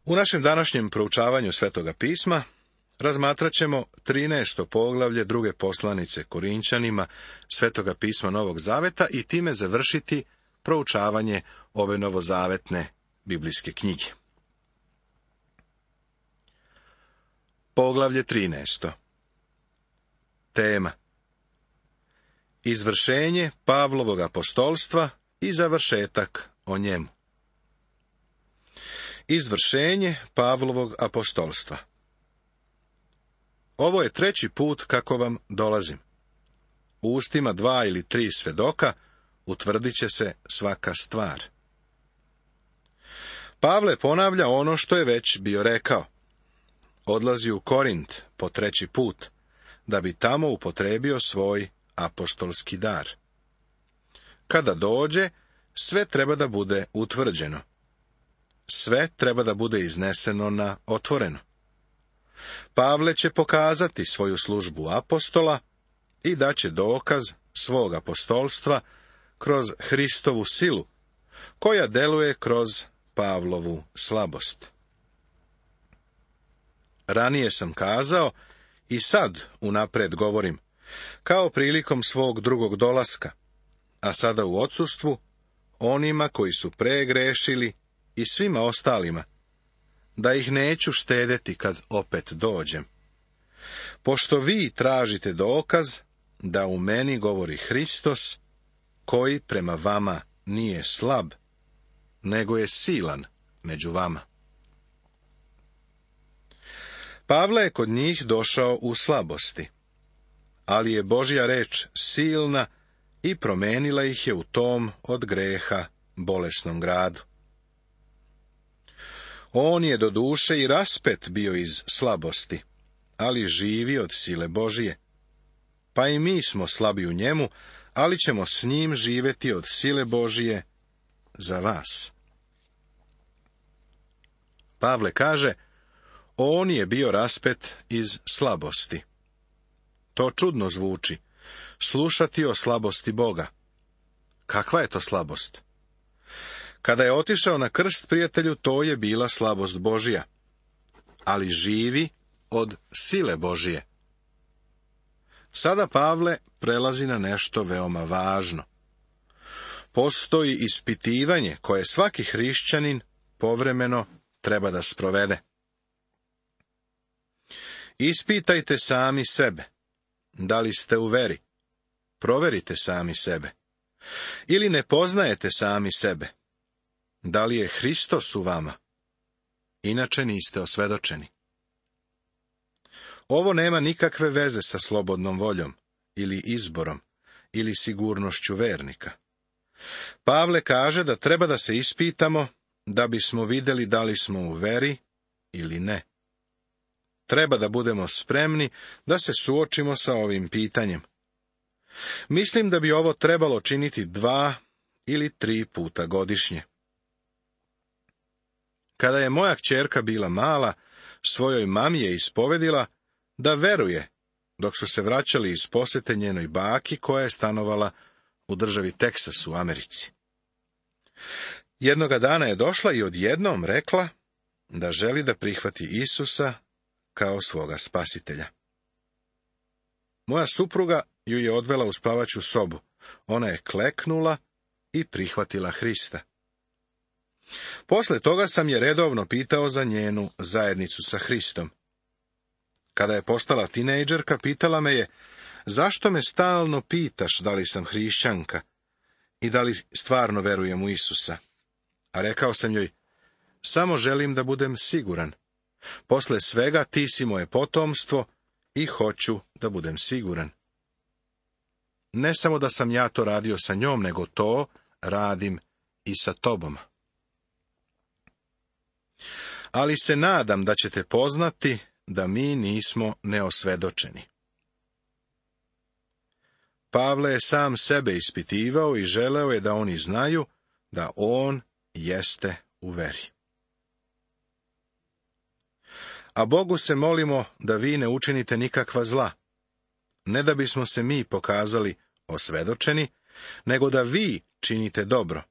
U našem današnjem proučavanju Svetoga pisma razmatrat ćemo 13. poglavlje druge poslanice Korinčanima Svetoga pisma Novog Zaveta i time završiti proučavanje ove novozavetne biblijske knjige. Poglavlje 13. Tema: izvršenje Pavlovog apostolstva i završetak o njemu. Izvršenje Pavlovog apostolstva. Ovo je 3. put kako vam dolazim. U ustima 2 ili 3 svedoka utvrdit će se svaka stvar. Pavle ponavlja ono što je već bio rekao. Odlazi u Korint po 3. put, da bi tamo upotrebio svoj apostolski dar. Kada dođe, sve treba da bude utvrđeno. Sve treba da bude izneseno na otvoreno. Pavle će pokazati svoju službu apostola i daće dokaz svog apostolstva kroz Hristovu silu, koja deluje kroz Pavlovu slabost. Ranije sam kazao i sad unapred govorim, kao prilikom svog drugog dolaska, a sada u odsustvu, onima koji su pregrešili i svima ostalima, da ih neću štedeti kad opet dođem. Pošto vi tražite dokaz da u meni govori Hristos, koji prema vama nije slab, nego je silan među vama. Pavle je kod njih došao u slabosti, ali je Božja reč silna i promenila ih je u tom od greha bolesnom gradu. On je doduše i raspet bio iz slabosti, ali živi od sile Božije. Pa i mi smo slabi u njemu, ali ćemo s njim živeti od sile Božije za vas. Pavle kaže, on je bio raspet iz slabosti. To čudno zvuči, slušati o slabosti Boga. Kakva je to slabost? Kada je otišao na krst, prijatelju, to je bila slabost Božja, ali živi od sile Božije. Sada Pavle prelazi na nešto veoma važno. Postoji ispitivanje koje svaki hrišćanin povremeno treba da sprovede. Ispitajte sami sebe. Da li ste u veri? Proverite sami sebe. Ili ne poznajete sami sebe? Da li je Hristos u vama? Inače niste osvedočeni. Ovo nema nikakve veze sa slobodnom voljom, ili izborom, ili sigurnošću vernika. Pavle kaže da treba da se ispitamo, da bismo vidjeli da li smo u veri ili ne. Treba da budemo spremni da se suočimo sa ovim pitanjem. Mislim da bi ovo trebalo činiti 2 ili 3 puta godišnje. Kada je moja kćerka bila mala, svojoj mami je ispovedila da veruje, dok su se vraćali iz posete njenoj baki koja je stanovala u državi Teksas u Americi. Jednoga dana je došla i odjednom rekla da želi da prihvati Isusa kao svoga spasitelja. Moja supruga ju je odvela u spavaću sobu. Ona je kleknula i prihvatila Hrista. Posle toga sam je redovno pitao za njenu zajednicu sa Hristom. Kada je postala tinejdžerka, pitala me je, zašto me stalno pitaš da li sam hrišćanka i da li stvarno verujem u Isusa? A rekao sam joj, samo želim da budem siguran. Posle svega ti si moje potomstvo i hoću da budem siguran. Ne samo da sam ja to radio sa njom, nego to radim i sa tobom. Ali se nadam da ćete poznati da mi nismo neosvedočeni. Pavle je sam sebe ispitivao i želeo je da oni znaju da on jeste u veri. A Bogu se molimo da vi ne učinite nikakva zla, ne da bismo se mi pokazali osvedočeni, nego da vi činite dobro,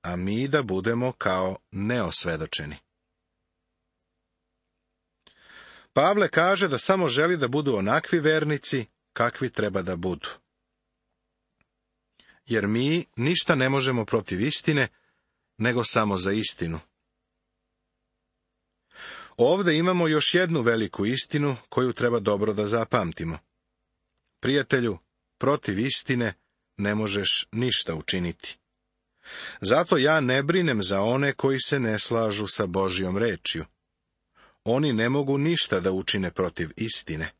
a mi da budemo kao neosvedočeni. Pavle kaže da samo želi da budu onakvi vernici kakvi treba da budu. Jer mi ništa ne možemo protiv istine, nego samo za istinu. Ovde imamo još jednu veliku istinu koju treba dobro da zapamtimo. Prijatelju, protiv istine ne možeš ništa učiniti. Zato ja ne brinem za one koji se ne slažu sa Božjom rečju. Oni ne mogu ništa da učine protiv istine.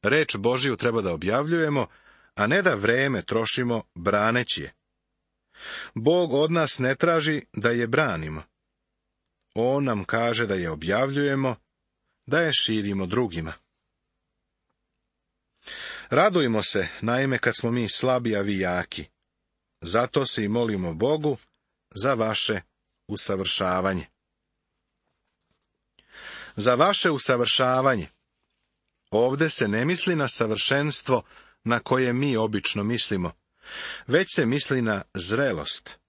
Reč Božju treba da objavljujemo, a ne da vreme trošimo braneći je. Bog od nas ne traži da je branimo. On nam kaže da je objavljujemo, da je širimo drugima. Radujmo se, naime, kad smo mi slabi, a vi jaki. Zato se i molimo Bogu za vaše usavršavanje. Za vaše usavršavanje. Ovde se ne misli na savršenstvo na koje mi obično mislimo, već se misli na zrelost.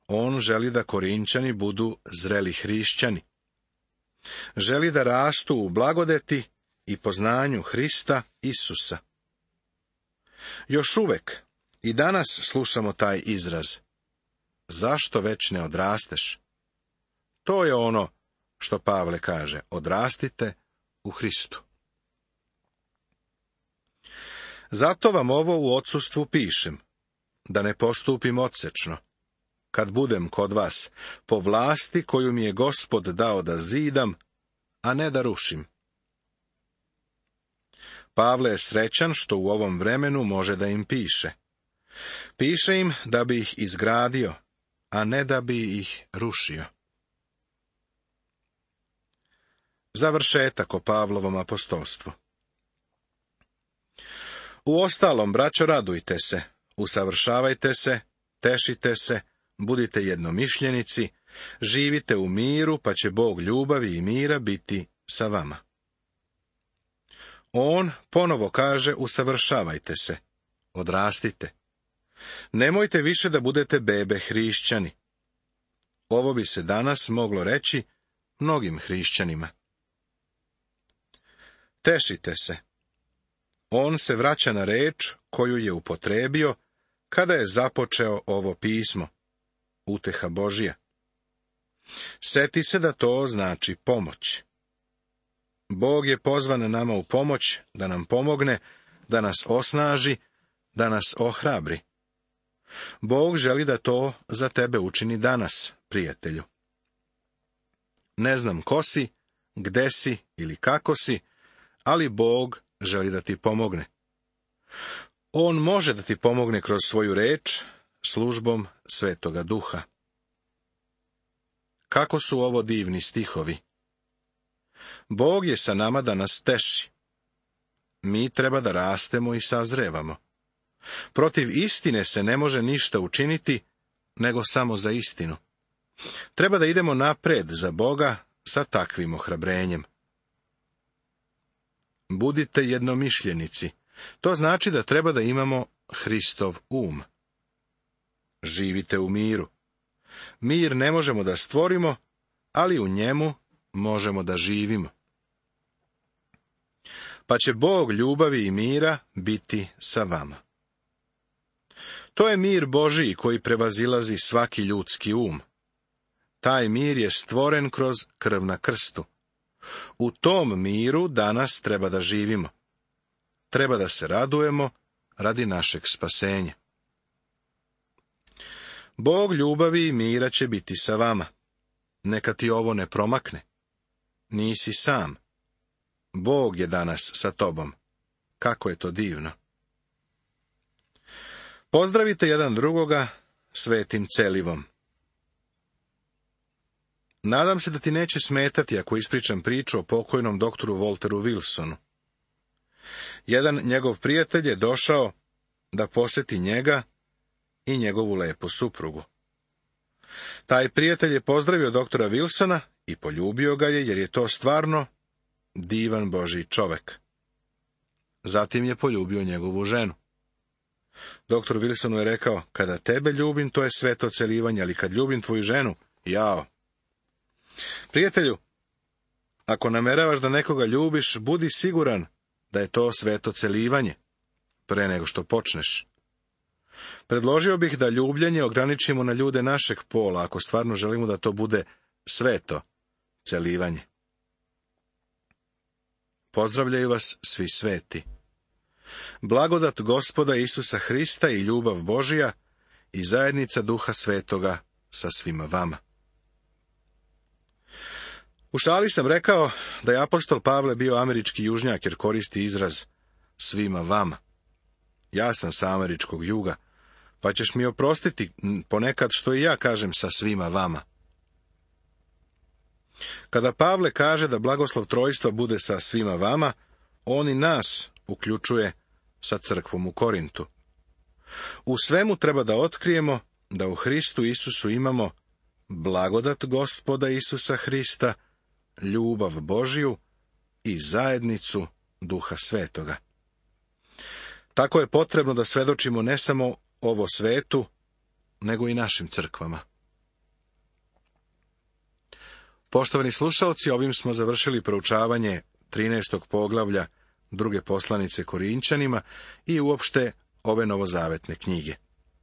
On želi da Korinćani budu zreli hrišćani. Želi da rastu u blagodeti i poznanju Hrista Isusa. Još uvek i danas slušamo taj izraz. Zašto već ne odrasteš? To je ono što Pavle kaže, odrastite u Hristu. Zato vam ovo u odsustvu pišem, da ne postupim odsečno, kad budem kod vas, po vlasti koju mi je Gospod dao da zidam, a ne da rušim. Pavle je srećan što u ovom vremenu može da im piše. Piše im da bi ih izgradio, a ne da bi ih rušio. Završetak o Pavlovom apostolstvu. Uostalom, braćo, radujte se, usavršavajte se, tešite se, budite jednomišljenici, živite u miru, pa će Bog ljubavi i mira biti sa vama. On ponovo kaže, usavršavajte se, odrastite. Nemojte više da budete bebe hrišćani. Ovo bi se danas moglo reći mnogim hrišćanima. Tešite se. On se vraća na reč koju je upotrebio kada je započeo ovo pismo, uteha Božja. Seti se da to znači pomoć. Bog je pozvan nama u pomoć, da nam pomogne, da nas osnaži, da nas ohrabri. Bog želi da to za tebe učini danas, prijatelju. Ne znam ko si, gde si ili kako si, ali Bog želi da ti pomogne. On može da ti pomogne kroz svoju reč, službom Svetoga Duha. Kako su ovo divni stihovi! Bog je sa nama da nas teši. Mi treba da rastemo i sazrevamo. Protiv istine se ne može ništa učiniti, nego samo za istinu. Treba da idemo napred za Boga sa takvim ohrabrenjem. Budite jednomišljenici. To znači da treba da imamo Hristov um. Živite u miru. Mir ne možemo da stvorimo, ali u njemu možemo da živimo. Pa će Bog ljubavi i mira biti sa vama. To je mir Božiji koji prevazilazi svaki ljudski um. Taj mir je stvoren kroz krv na krstu. U tom miru danas treba da živimo. Treba da se radujemo radi našeg spasenja. Bog ljubavi i mira će biti sa vama. Neka ti ovo ne promakne. Nisi sam. Bog je danas sa tobom. Kako je to divno. Pozdravite jedan drugoga svetim celivom. Nadam se da ti neće smetati ako ispričam priču o pokojnom doktoru Walteru Wilsonu. Jedan njegov prijatelj je došao da poseti njega i njegovu lepu suprugu. Taj prijatelj je pozdravio doktora Wilsona i poljubio ga je, jer je to stvarno divan Božji čovek. Zatim je poljubio njegovu ženu. Doktor Wilsonu je rekao, kada tebe ljubim, to je sveto celivanje, ali kad ljubim tvoju ženu, jao. Prijatelju, Ako nameravaš da nekoga ljubiš, budi siguran da je to sveto celivanje, pre nego što počneš. Predložio bih da ljubljenje ograničimo na ljude našeg pola, ako stvarno želimo da to bude sveto celivanje. Pozdravljaju vas svi sveti. Blagodat Gospoda Isusa Hrista i ljubav Božija i zajednica Duha Svetoga sa svima vama. U šali sam rekao da je apostol Pavle bio američki južnjak, jer koristi izraz svima vama. Ja sam sa američkog juga, pa ćeš mi oprostiti ponekad što i ja kažem sa svima vama. Kada Pavle kaže da blagoslov trojstva bude sa svima vama, on i nas uključuje sa crkvom u Korintu. U svemu treba da otkrijemo da u Hristu Isusu imamo blagodat Gospoda Isusa Hrista, ljubav Božju i zajednicu Duha Svetoga. Tako je potrebno da svedočimo ne samo ovo svetu, nego i našim crkvama. Poštovani slušalci, ovim smo završili proučavanje 13. poglavlja druge poslanice Korinćanima i uopšte ove novozavetne knjige.